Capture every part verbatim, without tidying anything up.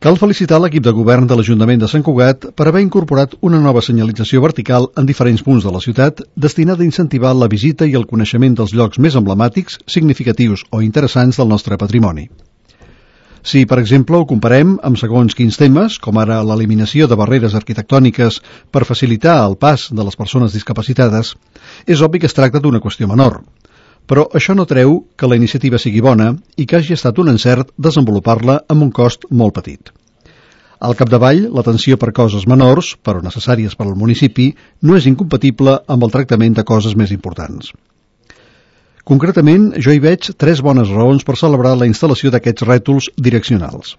Cal felicitar l'equip de govern de l'Ajuntament de Sant Cugat per haver incorporat una nova senyalització vertical en diferents punts de la ciutat destinada a incentivar la visita i el coneixement dels llocs més emblemàtics, significatius o interessants del nostre patrimoni. Si, per exemple, ho comparem amb segons quins temes, com ara l'eliminació de barreres arquitectòniques per facilitar el pas de les persones discapacitades, és obvi que es tracta d'una qüestió menor. Però això no treu que la iniciativa sigui bona i que hagi estat un encert desenvolupar-la amb un cost molt petit. Al capdavall, l'atenció per coses menors, però necessàries per al municipi, no és incompatible amb el tractament de coses més importants. Concretament, jo hi veig tres bones raons per celebrar la instal·lació d'aquests rètols direccionals.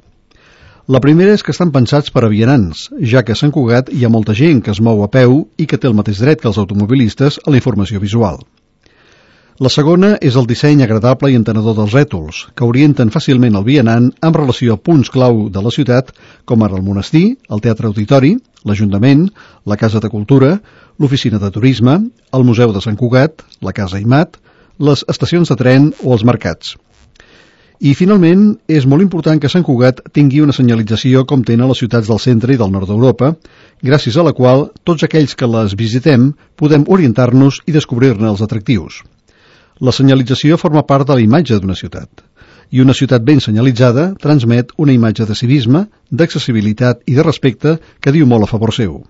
La primera és que estan pensats per a vianants, ja que a Sant Cugat hi ha molta gent que es mou a peu i que té el mateix dret que els automobilistes a la informació visual. La segona és el disseny agradable i entenedor dels rètols, que orienten fàcilment el vianant amb relació a punts clau de la ciutat, com ara el monestir, el teatre auditori, l'Ajuntament, la Casa de Cultura, l'Oficina de Turisme, el Museu de Sant Cugat, la Casa Aimat, les estacions de tren o els mercats. I, finalment, és molt important que Sant Cugat tingui una senyalització com tenen les ciutats del centre i del nord d'Europa, gràcies a la qual tots aquells que les visitem podem orientar-nos i descobrir-ne els atractius. La senyalització forma part de la imatge d'una ciutat, i una ciutat ben senyalitzada transmet una imatge de civisme, d'accessibilitat i de respecte que diu molt a favor seu.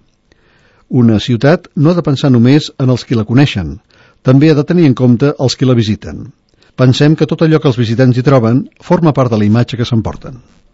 Una ciutat no ha de pensar només en els qui la coneixen, també ha de tenir en compte els qui la visiten. Pensem que tot allò que els visitants hi troben forma part de la imatge que s'emporten.